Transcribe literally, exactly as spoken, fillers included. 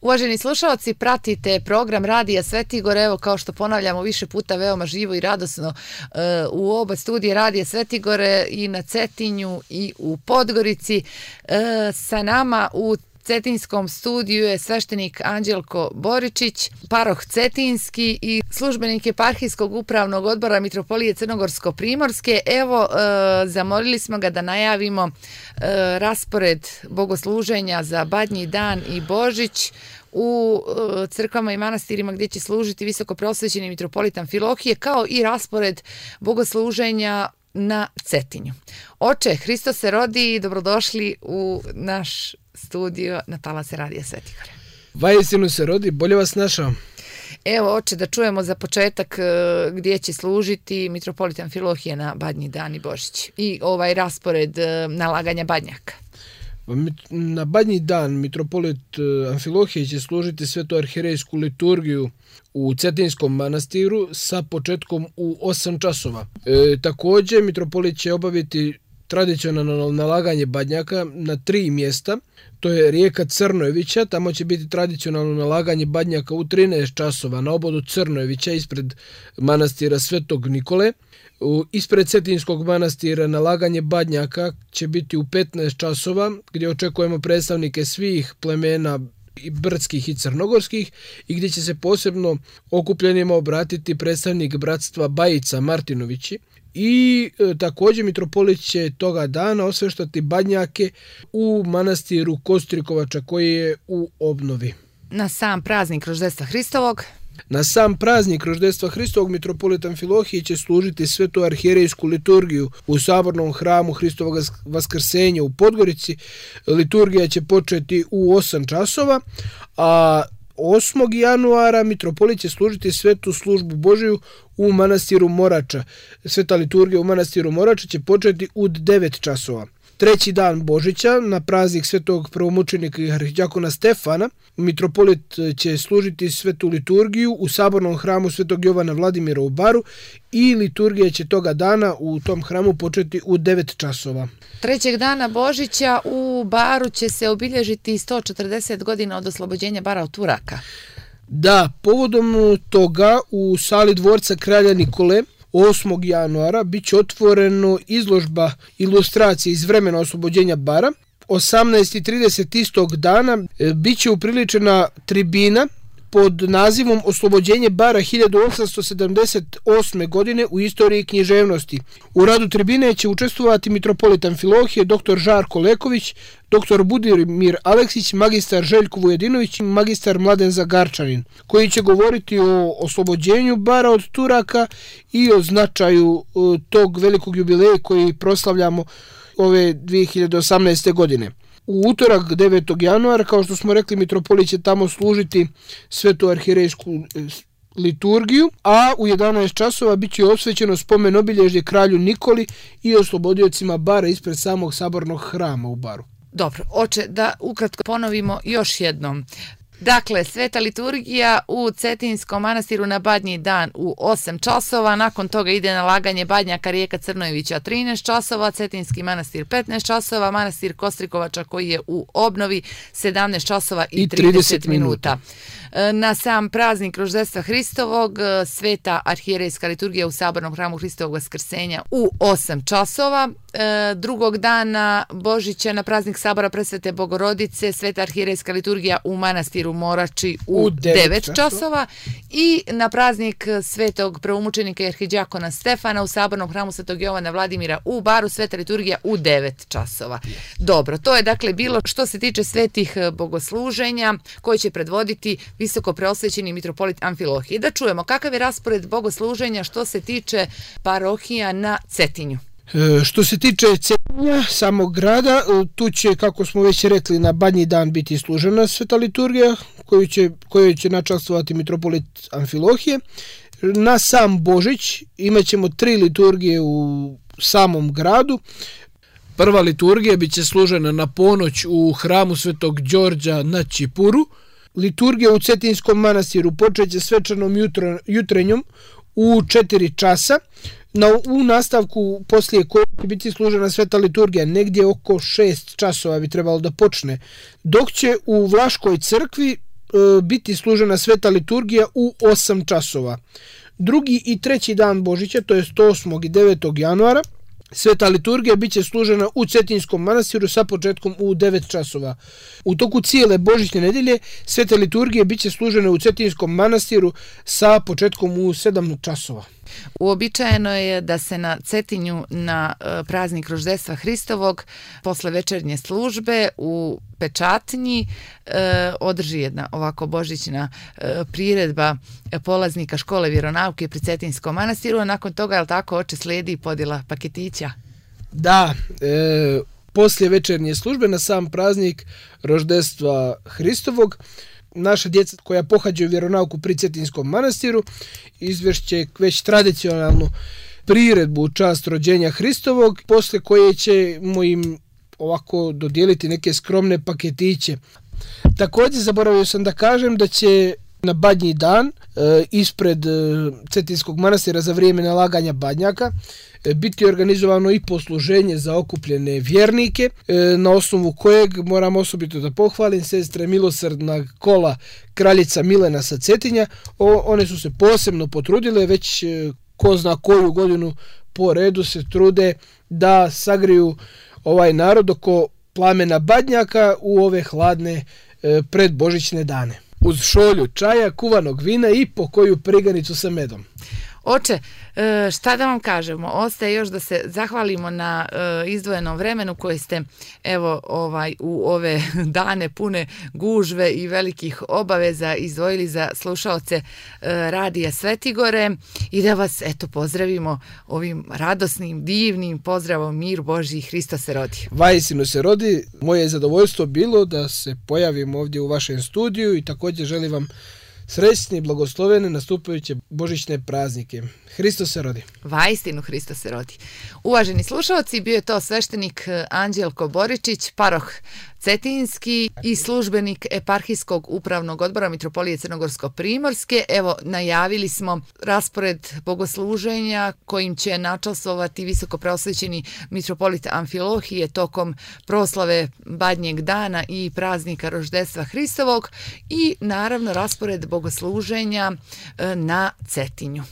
Uvaženi slušalci, pratite program Radija Svetigor, evo kao što ponavljamo više puta veoma živo i radosno uh, u oba studije Radija Svetigore i na Cetinju i u Podgorici. Uh, sa nama u Cetinskom studiju je sveštenik Anđelko Boričić, paroh Cetinski i službenik Eparhijskog upravnog odbora Mitropolije Crnogorsko-Primorske. Evo, e, zamolili smo ga da najavimo e, raspored bogosluženja za Badnji dan i Božić u e, crkvama i manastirima gdje će služiti visoko preosvećeni mitropolit Amfilohije, kao i raspored bogosluženja na Cetinju. Oče, Hristos se rodi i dobrodošli u naš studio na talase Radija Svetigor. Vaistinu se rodi, bolje vas našao. Evo, oče, da čujemo za početak gdje će služiti mitropolit Amfilohije na Badnji dan i Božić i ovaj raspored nalaganja badnjaka. Na Badnji dan mitropolit Amfilohije će služiti svetoarhirejsku liturgiju u Cetinskom manastiru sa početkom u osam časova. E, također mitropolit će obaviti tradicionalno nalaganje badnjaka na tri mjesta. To je rijeka Crnojevića, tamo će biti tradicionalno nalaganje badnjaka u trinaest časova na obodu Crnojevića ispred manastira Svetog Nikole. U, ispred Cetinskog manastira nalaganje badnjaka će biti u petnaest časova, gdje očekujemo predstavnike svih plemena i brdskih i crnogorskih i gdje će se posebno okupljenima obratiti predstavnik bratstva Bajica Martinovići. I e, također mitropolit će toga dana osveštati badnjake u manastiru Kostrikovača koji je u obnovi. Na sam praznik Roždestva Hristovog Na sam praznik Roždestva Hristovog mitropolit Amfilohije će služiti svetu arhijerejsku liturgiju u sabornom hramu Hristovog Vaskrsenja u Podgorici. Liturgija će početi u osam časova, a osmog januara mitropolit će služiti svetu službu Božiju u manastiru Morača. Sveta liturgija u manastiru Morača će početi u devet časova. Treći dan Božića, na praznik svetog prvomučenika i arhidjakona Stefana, mitropolit će služiti svetu liturgiju u sabornom hramu svetog Jovana Vladimira u Baru i liturgija će toga dana u tom hramu početi u devet časova. Trećeg dana Božića u Baru će se obilježiti sto četrdeset godina od oslobođenja Bara od Turaka. Da, povodom toga u sali dvorca kralja Nikole osmog januara bit će otvoreno izložba ilustracije iz vremena oslobođenja Bara. osamnaest i trideset istog dana bit će upriličena tribina pod nazivom Oslobođenje Bara hiljadu osamsto sedamdeset osme. godine u istoriji književnosti. U radu tribine će učestvovati mitropolit Amfilohije, dr. Žarko Leković, dr. Budimir Aleksić, magistar Željko Vujedinović i magistar Mladen Zagarčanin, koji će govoriti o oslobođenju Bara od Turaka i o značaju tog velikog jubileja koji proslavljamo ove dvije hiljade osamnaeste. godine. U utorak devetog januara, kao što smo rekli, mitropolit će tamo služiti svetu arhirejsku liturgiju, a u jedanaest časova bit će osvećeno spomen obilježje kralju Nikoli i oslobodiocima Bara ispred samog sabornog hrama u Baru. Dobro, oče, da ukratko ponovimo još jednom. Dakle, sveta liturgija u Cetinskom manastiru na Badnji dan u osam časova, nakon toga ide nalaganje badnjaka rijeka Crnojevića trinaest časova, Cetinski manastir petnaest časova, manastir Kostrikovača koji je u obnovi sedamnaest časova i trideset minuta. Na sam praznik Roždestva Hristovog sveta arhijerejska liturgija u sabornom hramu Hristovog Vaskrsenja u osam časova. Drugog dana Božića na praznik sabora Presvete Bogorodice sveta arhijerejska liturgija u manastiru Morači u, u devet časova i na praznik svetog prvomučenika i arhidjakona Stefana u sabornom hramu Svetog Jovana Vladimira u Baru sveta liturgija u devet časova. Dobro, to je dakle bilo što se tiče svetih bogosluženja koje će predvoditi visoko preosvećeni mitropolit Amfilohije. Da čujemo kakav je raspored bogosluženja što se tiče parohija na Cetinju. E, što se tiče Cetinja, samog grada, tu će, kako smo već rekli, na Badnji dan biti služena sveta liturgija koju će, koju će načastvovati mitropolit Amfilohije. Na sam Božić imat ćemo tri liturgije u samom gradu. Prva liturgija bit će služena na ponoć u hramu Svetog Đorđa na Čipuru. Liturgija u Cetinskom manastiru počeće svečanom jutro, jutrenjom u četiri časa. Na, u nastavku poslije koje će biti služena sveta liturgija negdje oko šest časova bi trebalo da počne. Dok će u Vlaškoj crkvi biti služena sveta liturgija u osam časova. Drugi i treći dan Božića, to je osmog i devetog januara, sveta liturgija bit će služena u Cetinskom manastiru sa početkom u devet časova. U toku cijele Božićne nedelje sveta liturgija bit će služena u Cetinskom manastiru sa početkom u sedam časova. Uobičajeno je da se na Cetinju na praznik Roždestva Hristovog posle večernje službe u Pečatnji e, održi jedna ovako božićna e, priredba polaznika škole vjeronauke pri Cetinskom manastiru, a nakon toga, jel tako, oče, slijedi podjela paketića? Da, e, poslije večernje službe na sam praznik Roždestva Hristovog naša djeca koja pohađaju vjeronauku pri Cetinskom manastiru izvešće već tradicionalnu priredbu u čast rođenja Hristovog, posle koje ćemo im ovako dodijeliti neke skromne paketiće. Također zaboravio sam da kažem da će na Badnji dan e, ispred e, Cetinskog manastira za vrijeme nalaganja badnjaka e, biti organizovano i posluženje za okupljene vjernike, e, na osnovu kojeg moram osobito da pohvalim sestre milosrdna kola kraljica Milena sa Cetinja. O, one su se posebno potrudile, već e, ko zna koju godinu po redu se trude da sagriju ovaj narod oko plamena badnjaka u ove hladne e, predbožićne dane. Uz šolju čaja, kuvanog vina i po koju priganicu sa medom. Oče, šta da vam kažemo, ostaje još da se zahvalimo na izdvojenom vremenu koje ste evo ovaj u ove dane pune gužve i velikih obaveza izdvojili za slušaoce Radija Svetigore i da vas eto pozdravimo ovim radosnim, divnim pozdravom mir Božji, Hristos se rodi. Vajsinu se rodi, moje je zadovoljstvo bilo da se pojavim ovdje u vašem studiju i također želim vam srećne i blagoslovene nastupajuće božićne praznike. Hristos se rodi. Vaistinu Hristos se rodi. Uvaženi slušalci, bio je to sveštenik Anđelko Boričić, paroh Cetinski i službenik eparhijskog upravnog odbora Mitropolije Crnogorsko-Primorske. Evo, najavili smo raspored bogosluženja kojim će načastvovati visoko preosvećeni mitropolit Amfilohije tokom proslave Badnjeg dana i praznika Roždestva Hristovog i naravno raspored bogosluženja na Cetinju.